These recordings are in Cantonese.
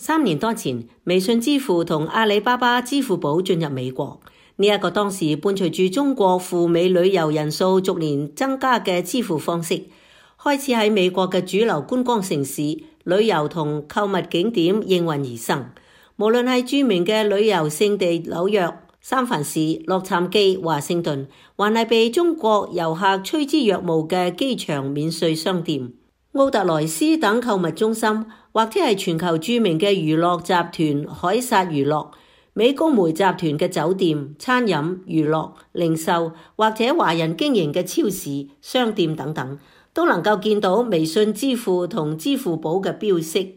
3年多前，微信支付同阿里巴巴支付寶進入美國。呢一個當時伴隨住中國赴美旅遊人數逐年增加嘅支付方式，開始喺美國嘅主流觀光城市、旅遊同購物景點應運而生。無論係著名嘅旅遊勝地紐約、三藩市、洛杉磯、華盛頓，還係被中國遊客趨之若鶩嘅機場免稅商店、奧特萊斯等購物中心，或者係全球著名嘅娛樂集團凱撒娛樂、美高梅集團嘅酒店、餐飲、娛樂、零售，或者華人經營嘅超市、商店等等，都能夠見到微信支付同支付寶嘅標識。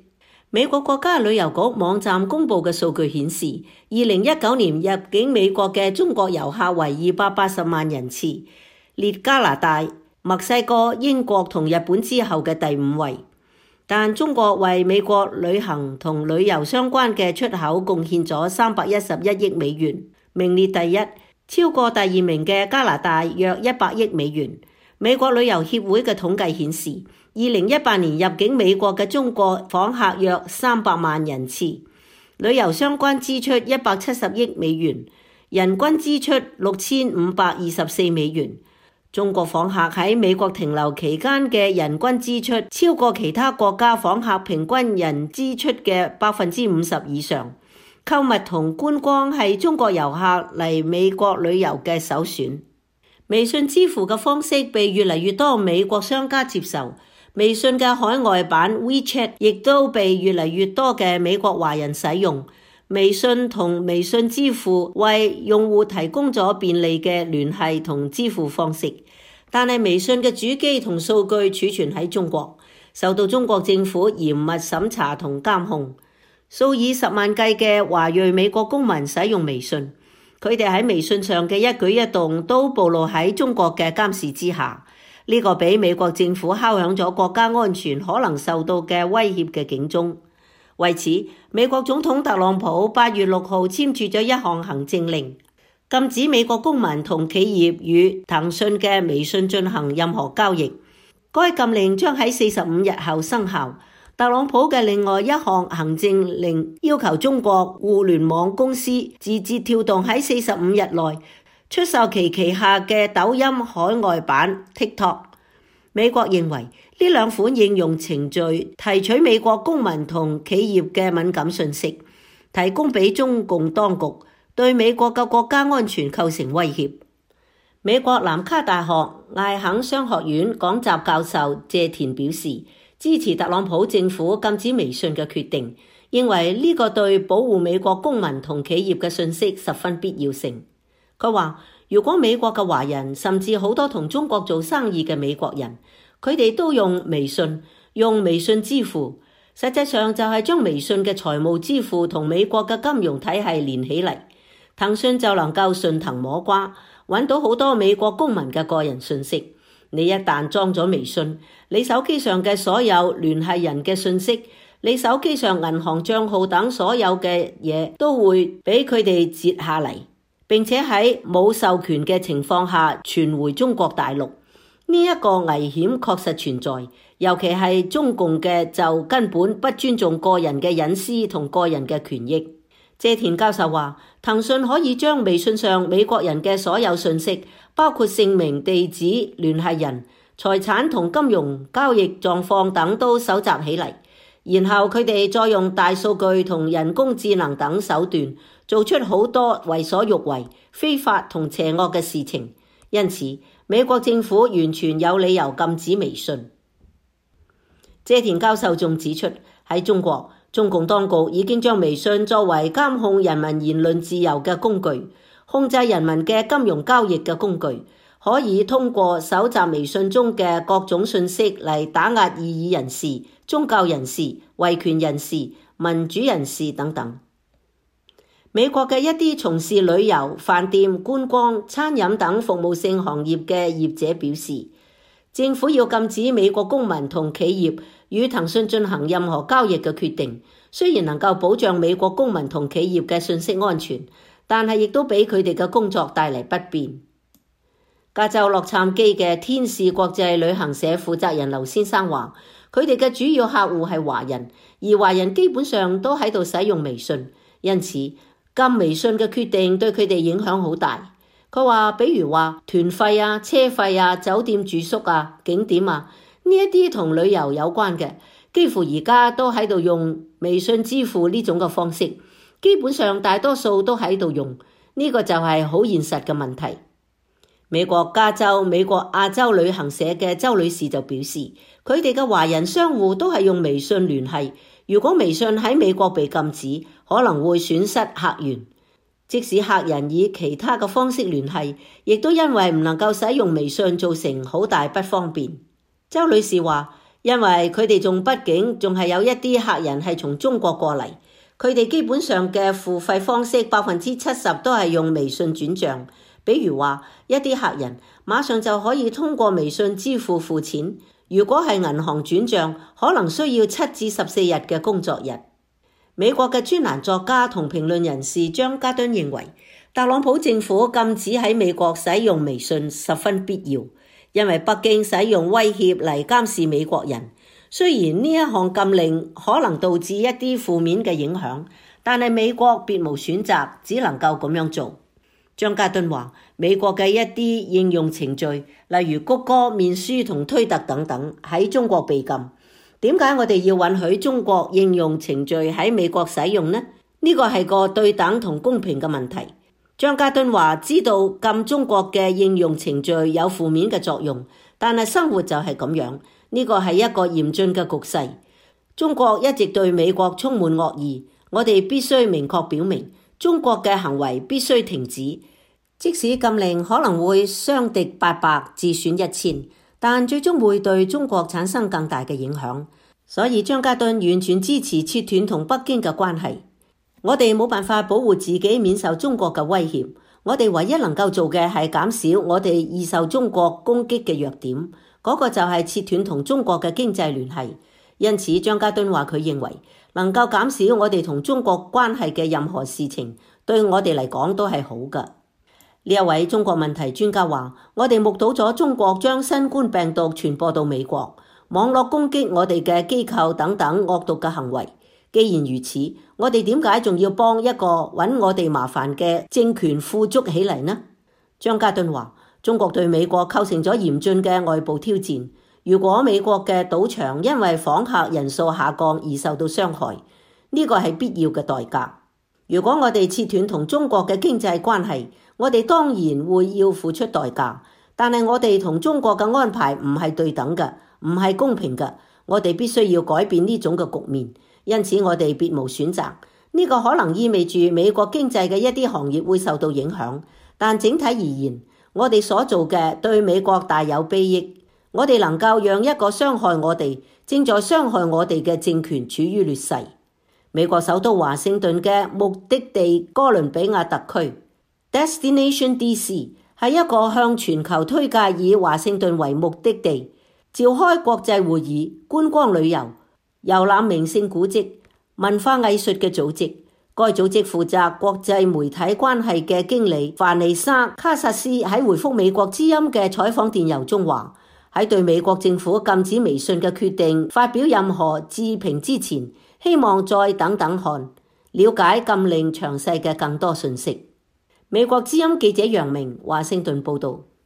美國國家旅遊局網站公布嘅數據顯示，2019年入境美國嘅中國遊客為280萬人次，列加拿大、墨西哥、英國同日本之後嘅第5位。但中國為美國旅行同旅遊相關嘅出口貢獻咗311億美元，名列第一，超過第2名嘅加拿大約100億美元。美國旅遊協會嘅統計顯示，2018年入境美國嘅中國訪客約300萬人次，旅遊相關支出170億美元，人均支出6524美元。中國訪客喺美國停留期間嘅人均支出超過其他國家訪客平均人支出嘅50%以上。購物同觀光係中國遊客嚟美國旅遊嘅首選。微信支付嘅方式被越嚟越多美國商家接受，微信嘅海外版 WeChat 亦都被越嚟越多嘅美國華人使用。微信同微信支付為用戶提供咗便利嘅聯繫同支付方式，但係微信嘅主機同數據儲存喺中國，受到中國政府嚴密審查同監控。數以10萬計嘅華裔美國公民使用微信，佢哋喺微信上嘅一舉一動都暴露喺中國嘅監視之下，呢個俾美國政府敲響咗國家安全可能受到嘅威脅嘅警鐘。為此，美國總統特朗普8月6號簽署咗一項行政令，禁止美國公民同企業與騰訊嘅微信進行任何交易。該禁令將喺45日後生效。特朗普嘅另外一項行政令要求中國互聯網公司字節跳動喺45日內出售其旗下嘅抖音海外版 TikTok。美國認為呢兩款應用程序提取美國公民同企業嘅敏感信息，提供俾中共當局，對美國嘅國家安全構成威脅。美國南卡大學艾肯商學院講習教授謝田表示，支持特朗普政府禁止微信嘅決定，認為呢個對保護美國公民同企業嘅信息十分必要性。佢話，如果美國嘅華人，甚至好多同中國做生意嘅美國人，佢哋都用微信支付，實際上就係將微信嘅財務支付同美國嘅金融體系連起嚟，騰訊就能夠順藤摸瓜，揾到好多美國公民嘅個人信息。你一旦裝咗微信，你手機上嘅所有聯繫人嘅信息，你手機上銀行賬號等所有嘅嘢都會俾佢哋截下嚟，並且喺冇授權嘅情況下傳回中國大陸。呢一個危險確實存在，尤其係中共嘅就根本不尊重個人嘅隱私同個人嘅權益。謝田教授話，騰訊可以將微信上美國人嘅所有信息，包括姓名、地址、聯繫人、財產同金融交易狀況等都搜集起嚟，然後佢哋再用大數據同人工智能等手段做出好多為所欲為、非法同邪惡嘅事情。因此，美國政府完全有理由禁止微信。謝田教授仲指出，喺中國，中共當局已經將微信作為監控人民言論自由嘅工具，控制人民嘅金融交易嘅工具，可以通過搜集微信中嘅各種信息嚟打壓異議人士、宗教人士、維權人士、民主人士等等。美國嘅一啲從事旅遊、飯店、觀光、餐飲等服務性行業嘅業者表示，政府要禁止美國公民同企業與騰訊進行任何交易嘅決定，雖然能夠保障美國公民同企業嘅信息安全，但係亦都俾佢哋嘅工作帶嚟不便。加州洛杉磯嘅天使國際旅行社負責人劉先生話，佢哋嘅主要客戶係華人，而華人基本上都喺度使用微信，因此禁微信嘅決定對佢哋影響好大。佢話，比如話團費啊、車費啊、酒店住宿啊、景點啊，呢一啲同旅遊有關嘅，幾乎而家都喺度用微信支付呢種嘅方式，基本上大多數都喺度用，呢個就係好現實嘅問題。美國加州美國亞洲旅行社嘅周女士就表示，佢哋嘅華人商戶都係用微信聯繫，如果微信喺美國被禁止，可能會損失客源。即使客人以其他嘅方式聯繫，亦都因為唔能夠使用微信造成好大不方便。周女士話，因為佢哋畢竟仲係有一啲客人係從中國過嚟，佢哋基本上嘅付費方式70%都係用微信轉賬。比如話一啲客人馬上就可以通過微信支付錢，如果係銀行轉賬，可能需要7至14日嘅工作日。美國嘅專欄作家同評論人士張家敦認為，特朗普政府禁止喺美國使用微信十分必要，因為北京使用威脅嚟監視美國人。雖然呢一項禁令可能導致一啲負面嘅影響，但係美國別無選擇，只能夠咁樣做。張家敦話，美國嘅一啲應用程序，例如谷歌、面書同推特等等，喺中國被禁。點解我哋要允許中國應用程序喺美國使用呢？呢個係個對等同公平嘅問題。張家敦話，知道禁中國嘅應用程序有負面嘅作用，但係生活就係咁樣，呢個係一個嚴峻嘅局勢。中國一直對美國充滿惡意，我哋必須明確表明，中國嘅行為必須停止。即使禁令可能會傷敵800，自損1000，但最終會對中國產生更大嘅影響。所以張家敦完全支持切斷同北京嘅關係。我哋冇辦法保護自己免受中國嘅威脅，我哋唯一能夠做嘅係減少我哋易受中國攻擊嘅弱點，嗰個就係切斷同中國嘅經濟聯繫。因此張家敦話，佢認為能夠減少我哋同中國關係嘅任何事情，對我哋嚟講都係好㗎。呢一位中國問題專家話，我哋目睹咗中國將新冠病毒傳播到美國，網絡攻擊我哋嘅機構等等惡毒嘅行為。既然如此，我哋點解仲要幫一個揾我哋麻煩嘅政權富足起嚟呢？張家敦話，中國對美國構成咗嚴峻嘅外部挑戰。如果美國嘅賭場因為訪客人數下降而受到傷害，呢個係必要嘅代價。如果我哋切斷同中國嘅經濟關係，我哋當然會要付出代價，但係我哋同中國嘅安排唔係對等嘅，唔係公平嘅，我哋必須要改變呢種嘅局面，因此我哋別無選擇。呢個可能意味住美國經濟嘅一啲行業會受到影響，但整體而言，我哋所做嘅對美國大有裨益。我哋能夠讓一個傷害我哋、正在傷害我哋嘅政權處於劣勢。美國首都華盛頓嘅目的地哥倫比亞特區 Destination DC 係一個向全球推介以華盛頓為目的地，召開國際會議、觀光旅遊、遊覽名勝古蹟、文化藝術嘅組織。該組織負責國際媒體關係嘅經理凡妮莎·卡薩斯喺回覆美國之音嘅採訪電郵中話，喺對美國政府禁止微信嘅決定發表任何置評之前，希望再等等看，了解禁令詳細嘅更多信息。美國之音記者楊明華盛頓報道。